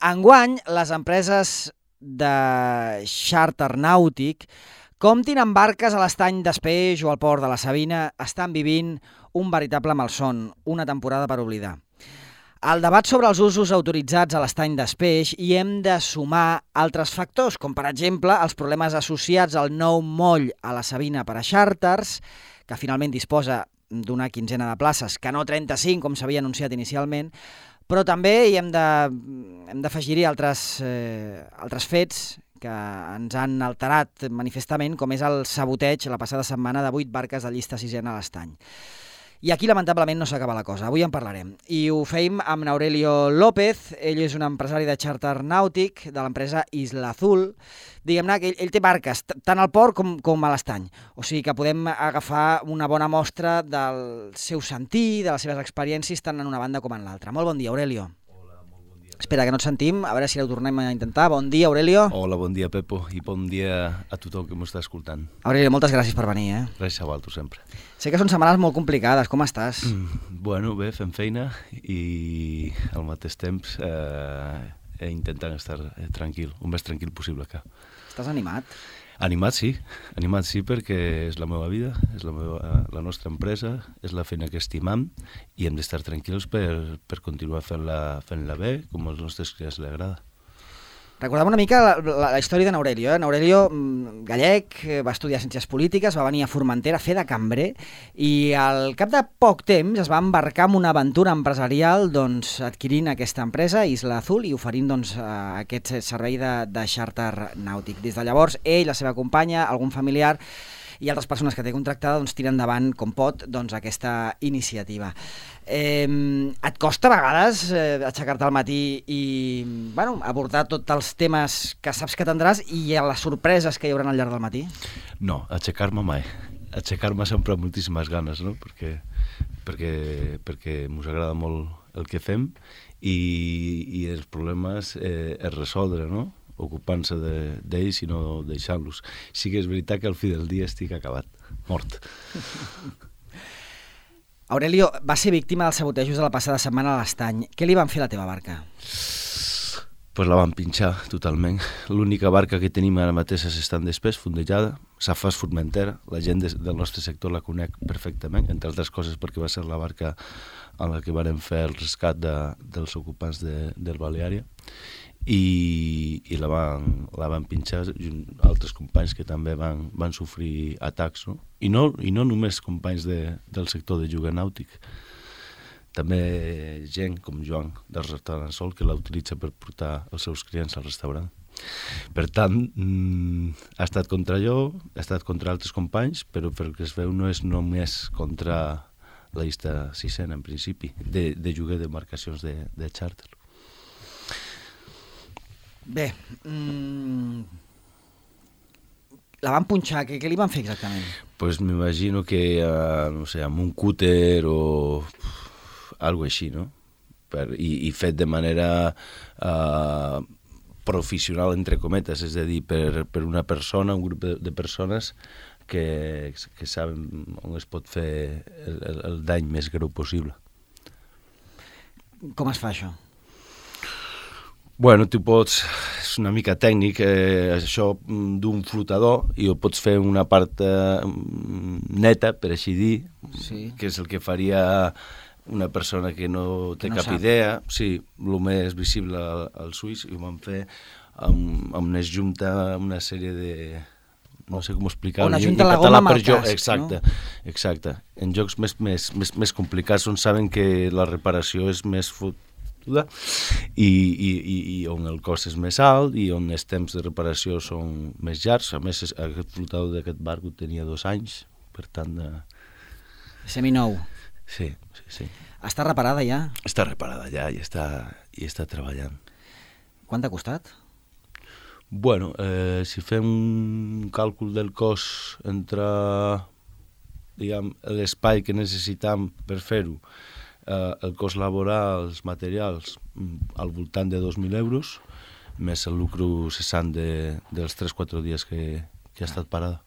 Enguany, les empreses de xàrter nàutic, comptin amb barques a l'estany d'Espeix o al port de la Sabina, estan vivint un veritable malson, una temporada per oblidar. Al debat sobre els usos autoritzats a l'estany d'Espeix hi hem de sumar altres factors, com per exemple els problemes associats al nou moll a la Sabina per a xàrters, que finalment disposa d'una quinzena de places, que no 35, com s'havia anunciat inicialment, però també hi hem d'afegir-hi altres fets que ens han alterat manifestament, com és el saboteig la passada setmana de 8 barques de llista sisena a l'estany. I aquí, lamentablement, no s'acaba la cosa. Avui en parlarem. I ho feim amb Aurelio López. Ell és un empresari de xàrter nàutic de l'empresa Isla Azul. Diguem-ne que ell té barques, tant al port com a l'estany. O sigui que podem agafar una bona mostra del seu sentir, de les seves experiències, tant en una banda com en l'altra. Molt bon dia, Aurelio. Espera, que no et sentim, a veure si ho tornem a intentar. Bon dia, Aurelio. Hola, bon dia, Pepo, i bon dia a tothom que m'està escoltant. Aurelio, moltes gràcies per venir. Res a vosaltres, sempre. Sé que són setmanes molt complicades, com estàs? Bueno, bé, fem feina i al mateix temps intentant estar tranquil, el més tranquil possible que. Estàs animat? Animat sí, perquè és la meva vida, és la nostra empresa, és la feina que estimam i hem d'estar tranquils per continuar fent-la bé, com als nostres clients li agrada. Recordem una mica la història de n'Aurelio. N'Aurelio, gallec, va estudiar Ciències Polítiques, va venir a Formentera a fer de cambrer i al cap de poc temps es va embarcar en una aventura empresarial adquirint aquesta empresa, Isla Azul, i oferint aquest servei de xàrter nàutic. Des de llavors, ell, la seva companya, algun familiar i altres persones que té contractada tiren endavant com pot aquesta iniciativa. Et costa a vegades aixecar-te al matí i abordar tots els temes que saps que tindràs i les sorpreses que hi haurà al llarg del matí? No, aixecar-me mai. Aixecar-me sempre amb moltíssimes ganes, no? Perquè ens agrada molt el que fem i els problemes es resoldre, no? Ocupant-se d'ells i no deixant-los. Sí que és veritat que al fi del dia estic acabat, mort. Aurelio, va ser víctima dels sabotejos de la passada setmana a l'estany. Què li van fer a la teva barca? Pues la van pinxar totalment. L'única barca que tenim ara mateix és estant d'Espès, fondejada, Safas Formentera. La gent del nostre sector la conec perfectament, entre altres coses perquè va ser la barca en la que vam fer el rescat dels ocupants del Baleària. I la van pinxar altres companys que també van sofrir atacs, no? I no només companys del sector de lloguer nàutic, també gent com Joan del restaurant Sol que la utilitza per portar els seus clients al restaurant. Per tant, ha estat contra jo, ha estat contra altres companys, però pel que es veu no és només contra la llista sisena en principi de lloguer d'embarcacions de xàrter. Bé, la van punxar, què li van fer exactament? Pues m'imagino que, no sé, amb un cúter o algo així, no? I fet de manera professional, entre cometes, és a dir, per una persona, un grup de persones que saben on es pot fer el dany més greu possible. Com es fa això? Bueno, tu pots, és una mica tècnic, això d'un flotador, i ho pots fer una part neta, per així dir, sí, que és el que faria una persona que no té cap idea. Sí, el més visible als ulls, i ho van fer amb una junta, una sèrie de... no sé com explicar-ho. Una junta la goma amb el casc, exacte, no? Exacte. En jocs més complicats on saben que la reparació és més i on el cost és més alt i on els temps de reparació són més llargs. A més, aquest flotador d'aquest barco tenia 2 anys, per tant... Seminou. Sí. Està reparada ja? Està reparada ja i està treballant. Quant t'ha costat? Bueno, si fem un càlcul del cost entre l'espai que necessitam per fer-ho, el cost laboral, els materials, al voltant de 2.000 euros, més el lucre cessant dels 3-4 dies que ha estat parada.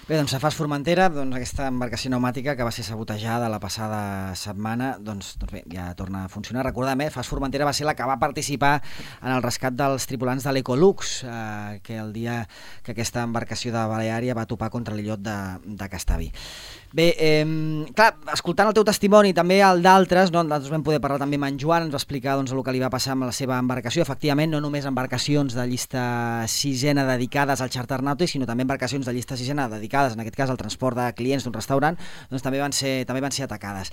Bé, Bé, doncs Safars Formentera, aquesta embarcació pneumàtica que va ser sabotejada la passada setmana, doncs bé, ja torna a funcionar. Recordem, Safars Formentera va ser la que va participar en el rescat dels tripulants de l'Ecolux, que el dia que aquesta embarcació de Baleària va topar contra l'illot de Castavi. Bé, clar, escoltant el teu testimoni, també el d'altres, nosaltres vam poder parlar també amb en Joan, ens va explicar el que li va passar amb la seva embarcació. Efectivament, no només embarcacions de llista sisena dedicades al charter nàutic, sinó també embarcacions de llista sisena dedicades, en aquest cas, al transport de clients d'un restaurant, doncs també van ser atacades.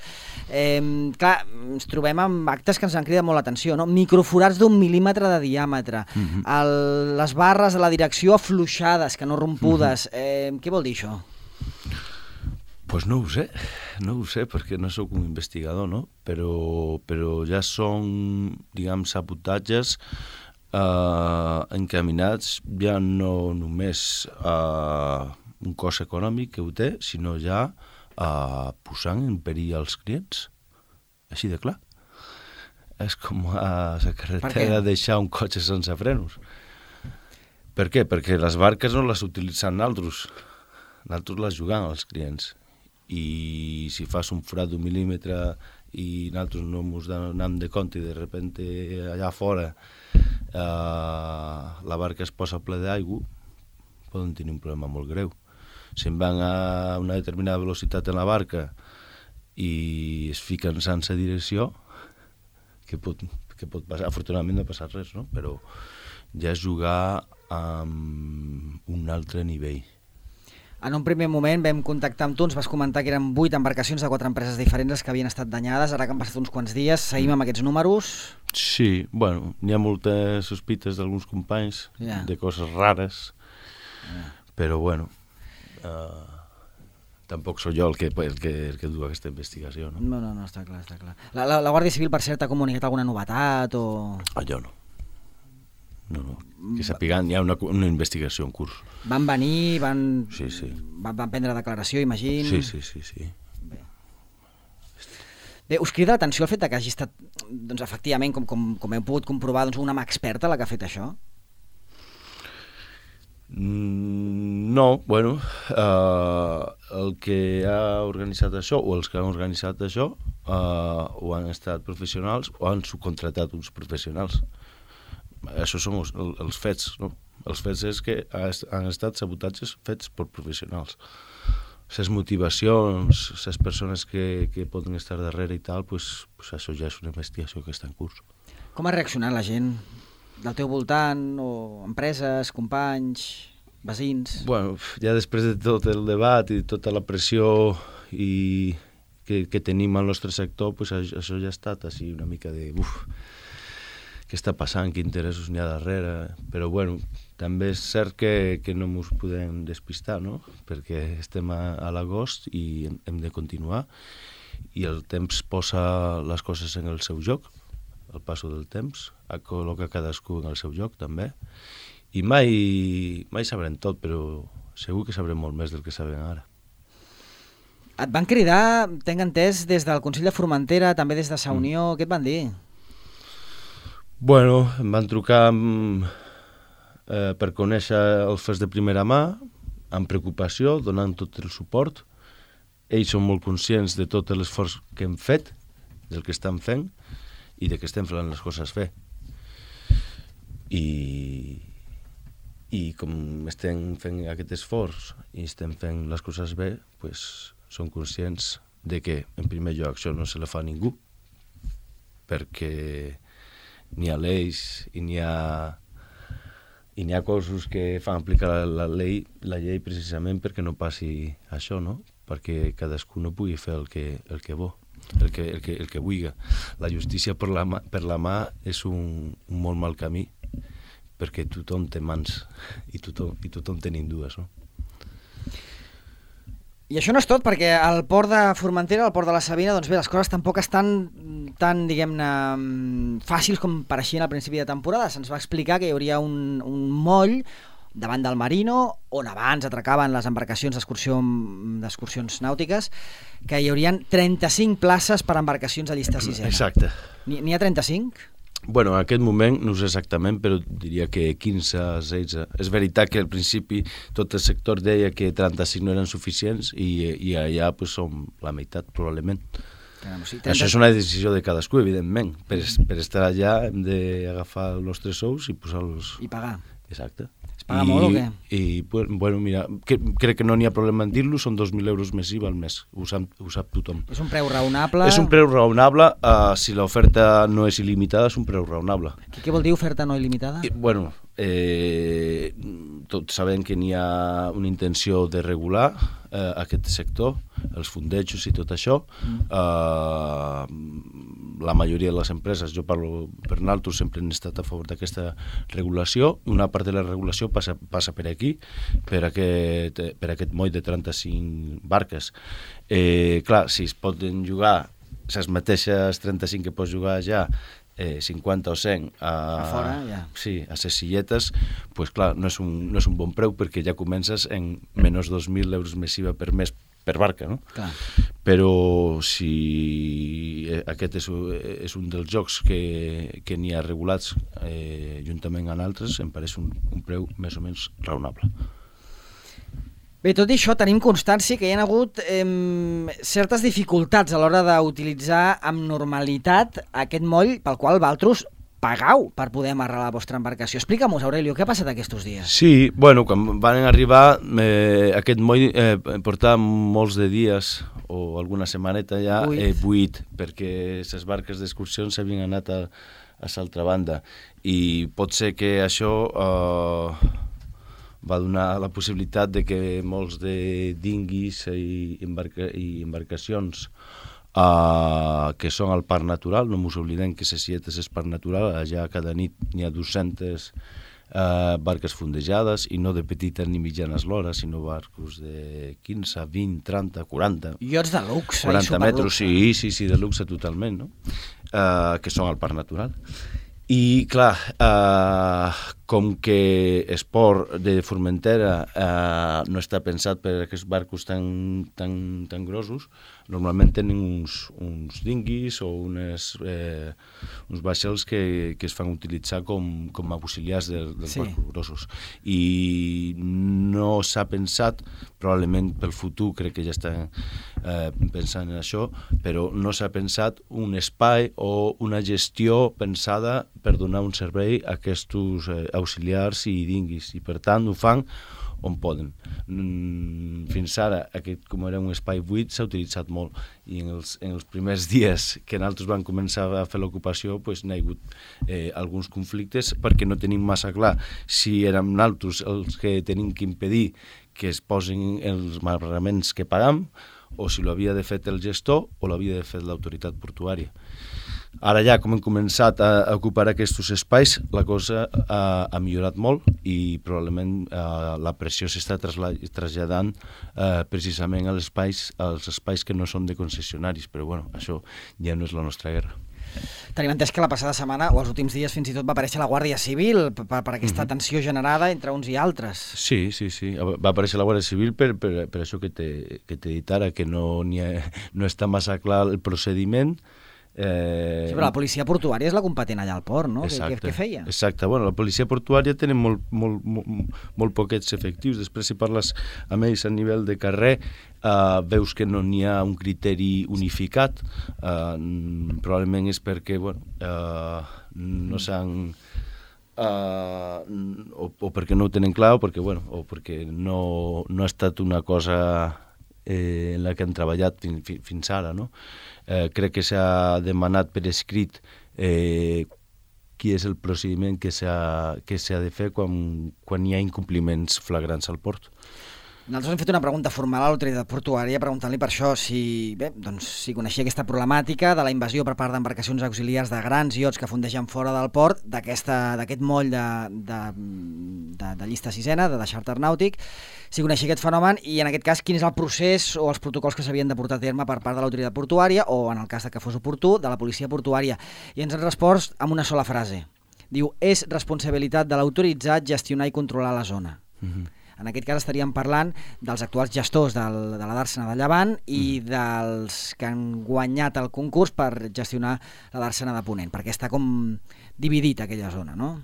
Clar, ens trobem amb actes que ens han cridat molt l'atenció, no? Microforats d'1 mil·límetre de diàmetre, les barres de la direcció afluixades, que no rompudes. Què vol dir això? Pues no ho sé, perquè no sóc un investigador, no? Però ja són, diguem, sabotatges encaminats ja no només a un cost econòmic que ho té, sinó ja posant en perill els clients, així de clar. És com a la carretera deixar un cotxe sense frenos. Per què? Perquè les barques no les utilitzem nosaltres les jugam als clients. I si fas un forat d'1 mil·límetre i nosaltres no ens donem de compte i de repente allà fora la barca es posa ple d'aigua, poden tenir un problema molt greu. Si en van a una determinada velocitat en la barca i es fiquen sense direcció, què pot passar? Afortunadament no ha passat res, no? Però ja és jugar amb un altre nivell. En un primer moment vam contactar amb tu, ens vas comentar que eren 8 embarcacions de 4 empreses diferents que havien estat danyades, ara que han passat uns quants dies, seguim amb aquests números? Sí, bueno, n'hi ha moltes sospites d'alguns companys de coses rares, però bueno, tampoc sóc jo el que du aquesta investigació, no? No, està clar. La Guàrdia Civil, per cert, ha comunicat alguna novetat o...? Jo no. No. Que sapiguen, hi ha una investigació en curs. Van venir, Sí. van prendre declaració, imagino? Sí. Bé, us crida l'atenció el fet que hagi estat, doncs, efectivament, com heu pogut comprovar, doncs, una mà experta la que ha fet això? No, bueno, el que ha organitzat això, o els que han organitzat això, o han estat professionals o han subcontratat uns professionals. Això són els fets, no? Els fets és que han estat sabotatges fets per professionals. Les motivacions, les persones que poden estar darrere i tal, pues això ja és una investigació que està en curs. Com ha reaccionat la gent del teu voltant, o empreses, companys, veïns? Bueno, ja després de tot el debat i tota la pressió que tenim al nostre sector, pues això ja ha estat així una mica de... què està passant, quins interessos n'hi ha darrere, però bueno, també és cert que no ens podem despistar, no? Perquè estem a l'agost i hem de continuar i el temps posa les coses en el seu lloc, el passo del temps, col·loca cadascú en el seu lloc també, i mai sabrem tot, però segur que sabrem molt més del que sabem ara. Et van cridar, tenc entès, des del Consell de Formentera, també des de Sa Unió, què et van dir? Bueno, em van trucar per conèixer els fets de primera mà, amb preocupació, donant tot el suport. Ells són molt conscients de tot l'esforç que hem fet, del que estem fent i de que estem fent les coses bé. I com estem fent aquest esforç i estem fent les coses bé, pues, són conscients de que, en primer lloc, això no se la fa a ningú, perquè n'hi ha lleis i n'hi ha coses que fan aplicar la llei precisament perquè no passi això, no? Perquè cadascú no pugui fer el que vol, el que vulgui. La justícia per la mà és un molt mal camí, perquè tothom té mans i tothom tenim dues, no? I això no és tot, perquè al port de Formentera, al port de la Sabina, doncs bé, les coses tampoc estan tan, diguem-ne, fàcils com pareixien al principi de temporada. Se'ns va explicar que hi hauria un moll davant del Marino, on abans atracaven les embarcacions d'excursions nàutiques, que hi haurien 35 places per embarcacions de llista sisena. Exacte. N'hi ha 35? Bueno, en aquest moment no ho sé exactament, però diria que 15, 16. És veritat que al principi tot el sector deia que 35 no eren suficients i allà pues, som la meitat, probablement. Caram, sí, Això és una decisió de cadascú, evidentment. Per estar allà hem d'agafar els nostres sous i posar-los... I pagar. Exacte. Es paga molt o què? I, bueno, mira, crec que no n'hi ha problema en dir-lo, són 2.000 euros més IVA al mes, ho sap tothom. És un preu raonable? És un preu raonable, si l'oferta no és il·limitada, és un preu raonable. Què vol dir oferta no il·limitada? Bueno, tots sabem que n'hi ha una intenció de regular aquest sector, els fondejos i tot això. La majoria de les empreses, jo parlo per nosaltres, sempre han estat a favor d'aquesta regulació. Una part de la regulació passa per aquí, per aquest moll de 35 barques. Clar, si es poden jugar les mateixes 35 que pots jugar ja, 50 o 100 a fora, ja. Sí, a les silletes, pues clar, no és un bon preu perquè ja comences en menys 2.000 euros més IVA per mes per barca, no? Clar. Però si aquest és un dels jocs que n'hi ha regulats juntament amb altres, em pareix un preu més o menys raonable. Bé, tot i això, tenim constància que hi ha hagut certes dificultats a l'hora d'utilitzar amb normalitat aquest moll pel qual vosaltres pagau per poder amarrar la vostra embarcació. Explica-mos, Aurelio, què ha passat aquests dies? Sí, bueno, quan van arribar, aquest moll portava molts de dies o alguna setmaneta ja buit, perquè les barques d'excursions s'havien anat a l'altra banda. I pot ser que això va donar la possibilitat de que molts de dinguis i embarcacions que són al parc natural, no ens oblidem que les silletes és parc natural, allà cada nit n'hi ha 200 barques fondejades, i no de petites ni mitjanes l'hora, sinó barcos de 15, 20, 30, 40... Iots de luxe, 40 metres, sí, de luxe totalment, no? Que són al parc natural. I, clar, com que Esport de Formentera no està pensat per aquests barcos tan grossos, normalment tenen uns dinguis o uns vaixells que es fan utilitzar com auxiliars dels barcos grossos. I no s'ha pensat, probablement pel futur, crec que ja estan pensant en això, però no s'ha pensat un espai o una gestió pensada per donar un servei a aquests auxiliars i dinguis, i per tant ho fan on poden. Fins ara, com era un espai buit, s'ha utilitzat molt, i en els primers dies que nosaltres vam començar a fer l'ocupació n'hi ha hagut alguns conflictes perquè no tenim massa clar si érem nosaltres els que tenim que impedir que es posin els amarraments que pagam, o si l'havia de fer el gestor o l'havia de fer l'autoritat portuària. Ara ja, com hem començat a ocupar aquests espais, la cosa ha millorat molt i probablement la pressió s'està traslladant precisament als espais que no són de concessionaris, però bueno, això ja no és la nostra guerra. Tenim entès que la passada setmana, o els últims dies, fins i tot va aparèixer la Guàrdia Civil per aquesta tensió generada entre uns i altres. Sí. Va aparèixer la Guàrdia Civil per això que t'he dit ara, que no està massa clar el procediment. Sí, però la policia portuària és la competent allà al port, no? Què feia? Exacte, bueno, la policia portuària tenen molt poquets efectius. Després, si parles amb ells a nivell de carrer, veus que no n'hi ha un criteri unificat. Probablement és perquè no s'han... o perquè no ho tenen clar, o perquè no ha estat una cosa en la que han treballat fins ara, no? Crec que s'ha demanat per escrit qui és el procediment que s'ha de fer quan hi ha incompliments flagrants al port. Nosaltres hem fet una pregunta formal a l'autoritat portuària preguntant-li per això si coneixia aquesta problemàtica de la invasió per part d'embarcacions auxiliars de grans iots que fondegen fora del port, d'aquest moll de llista sisena, de charter nàutic, si coneixia aquest fenomen i en aquest cas quin és el procés o els protocols que s'havien de portar a terme per part de l'autoritat portuària o, en el cas que fos oportú, de la policia portuària. I ens han respost amb una sola frase. Diu, és responsabilitat de l'autoritzat gestionar i controlar la zona. En aquest cas estaríem parlant dels actuals gestors de la Dàrsena de Llevant i dels que han guanyat el concurs per gestionar la Dàrsena de Ponent, perquè està com dividit aquella zona, no?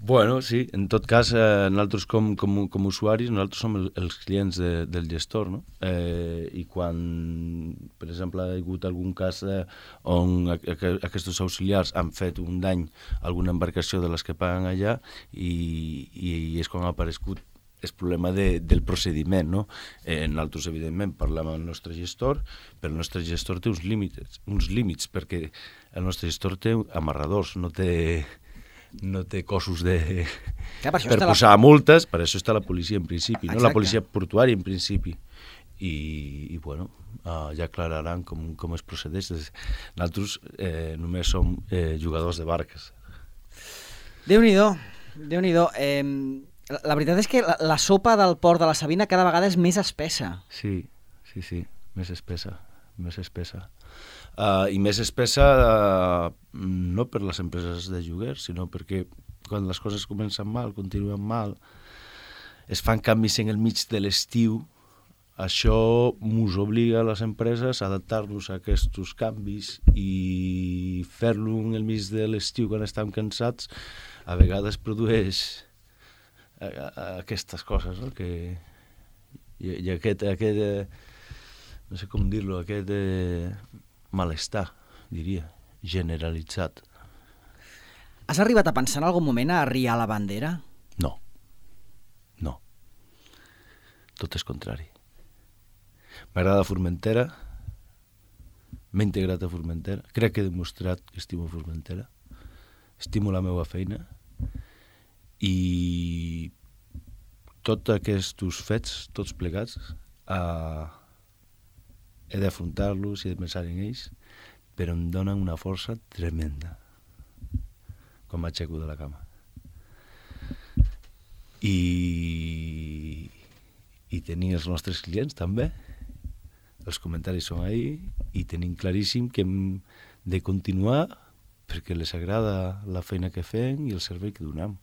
Bueno, sí, en tot cas, nosaltres com usuaris, nosaltres som els clients del gestor, no? I quan, per exemple, ha hagut algun cas on aquests auxiliars han fet un dany a alguna embarcació de les que paguen allà i és quan ha aparegut el problema del procediment, no? Nosaltres, evidentment, parlem amb el nostre gestor, però el nostre gestor té uns límits, perquè el nostre gestor té amarradors, no té cossos per posar multes, per això està la policia en principi, no? La policia portuària en principi. I bueno, ja aclararan com es procedeix. Nosaltres només som jugadors de barques. Déu-n'hi-do, Déu-n'hi-do. La veritat és que la sopa del port de la Savina cada vegada és més espessa. Sí, més espessa. I més espessa no per les empreses de lloguer, sinó perquè quan les coses comencen mal, continuen mal, es fan canvis en el mig de l'estiu, això ens obliga a les empreses a adaptar-nos a aquests canvis i fer-lo en el mig de l'estiu quan estem cansats a vegades produeix aquestes coses, no? I aquest no sé com dir-lo, aquest malestar, diria, generalitzat. Has arribat a pensar en algun moment a arriar la bandera? No. Tot és contrari. M'agrada Formentera, m'he integrat a Formentera, crec que he demostrat que estimo Formentera, estimo la meva feina i tots aquests fets, tots plegats, he d'afrontar-los i de pensar en ells, però em donen una força tremenda quan m'aixeco de la cama. I tenir els nostres clients també, els comentaris són ahí i tenim claríssim que hem de continuar perquè les agrada la feina que fem i el servei que donem.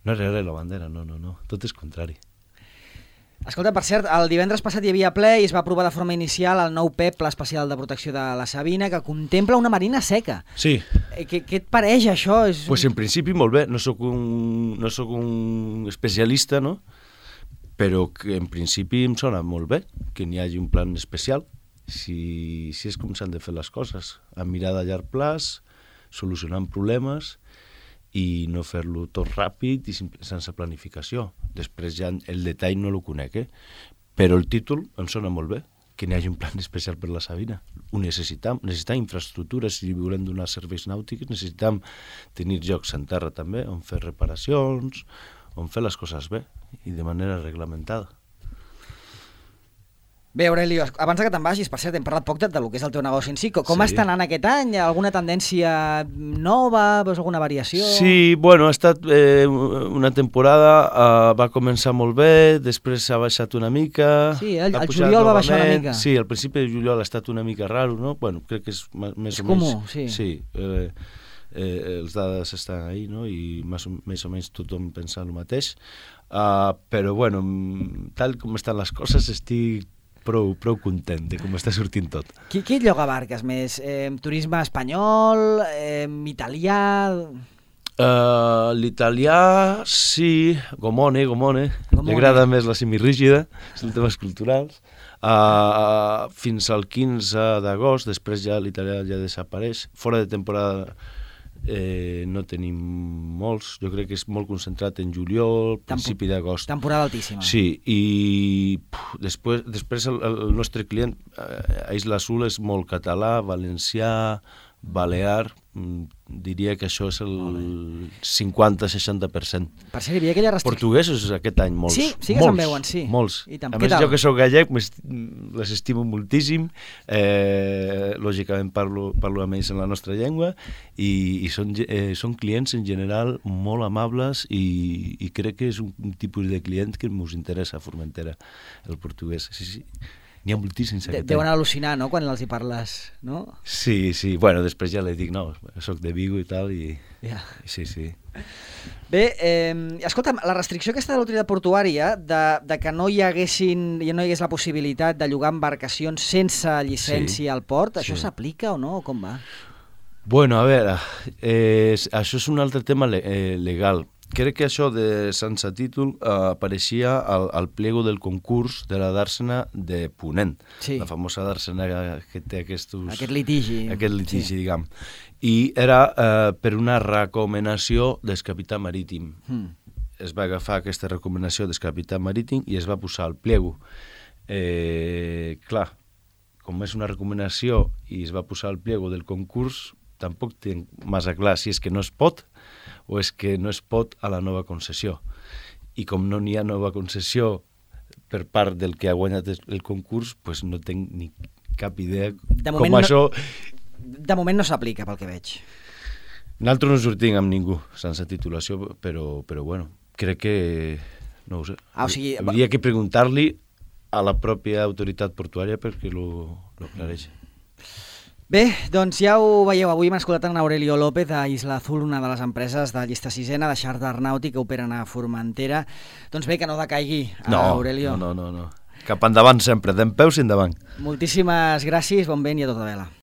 No és la bandera, no, tot és contrari. Escolta, per cert, el divendres passat hi havia ple i es va aprovar de forma inicial el nou PEP, Pla Especial de Protecció de la Savina, que contempla una marina seca. Sí. Què et pareix, això? Pues en principi molt bé, no soc un especialista, no? Però que en principi em sona molt bé que n'hi hagi un plan especial, si és com s'han de fer les coses, amb mirada a llarg plaç, solucionant problemes i no fer-lo tot ràpid i sense planificació. Després ja el detall no el conec, però el títol em sona molt bé, que n'hi hagi un plan especial per la Savina. Ho necessitam infraestructures, si volem donar serveis nàutics, necessitam tenir llocs en terra també, on fer reparacions, on fer les coses bé i de manera reglamentada. Bé, Aurelio, abans que te'n vagis, per cert, hem parlat poc del que és el teu negoci en si. Com està anant aquest any? Alguna tendència nova? Veus alguna variació? Sí, bueno, ha estat una temporada, va començar molt bé, després s'ha baixat una mica. Sí, el juliol va baixar una mica. Sí, al principi de juliol ha estat una mica raro, no? Bueno, crec que és més o menys... comú, sí. Sí, els dades estan ahí, no? I més o menys tothom pensa el mateix. Però, bueno, tal com estan les coses, estic prou content de com està sortint tot. Qui lloga barques més? Turisme espanyol? Italià? L'italià, sí, Gomone. Li agrada més la semirrígida, són temes culturals. Fins al 15 d'agost, després ja l'italià ja desapareix. Fora de temporada no tenim molts, jo crec que és molt concentrat en juliol, principi d'agost. Temporada altíssima. Sí, i després el nostre client a Isla Azul és molt català, valencià, balear, diria que això és el 50-60%. Per cert, hi havia aquella restricció. Portuguesos aquest any, molts. Sí que se'n veuen, sí. Molts. A més, jo que soc gallec, les estimo moltíssim, lògicament parlo amb ells en la nostra llengua, i són clients en general molt amables i crec que és un tipus de client que ens interessa a Formentera, el portuguès. Sí. N'hi ha moltíssims. Deuen al·lucinar, no?, quan els hi parles, no? Sí. Bueno, després ja li dic, no, soc de Vigo i tal, i... Ja. Sí. Bé, escolta'm, la restricció aquesta de l'autoritat portuària de que no hi hagués la possibilitat de llogar embarcacions sense llicència al port, això s'aplica o no? Com va? Bueno, a veure, això és un altre tema legal. Crec que això de sense títol apareixia al pliego del concurs de la dàrsena de Ponent, Sí. la famosa dàrsena que té aquest litigi. litigi, diguem. I era per una recomanació del capità marítim. Es va agafar aquesta recomanació del capità marítim i es va posar al pliego. Clar, com és una recomanació i es va posar al pliego del concurs, tampoc tinc massa clar si és que no es pot o és que no es pot a la nova concessió. I com no n'hi ha nova concessió per part del que ha guanyat el concurs, pues no tinc ni cap idea com això... De moment no s'aplica, pel que veig. Nosaltres no sortim amb ningú sense titulació, però bueno, crec que... no ho sé. O sigui... Hauria que preguntar-li a la pròpia autoritat portuària perquè lo aclareixi. Bé, doncs ja ho veieu, avui hem escoltat en Aurelio López de Isla Azul, una de les empreses de llista sisena de xàrter nàutic que operen a Formentera. Doncs bé, que no decaigui, Aurelio. No. Cap endavant sempre, dempeus i endavant. Moltíssimes gràcies, bon vent i a tota vela.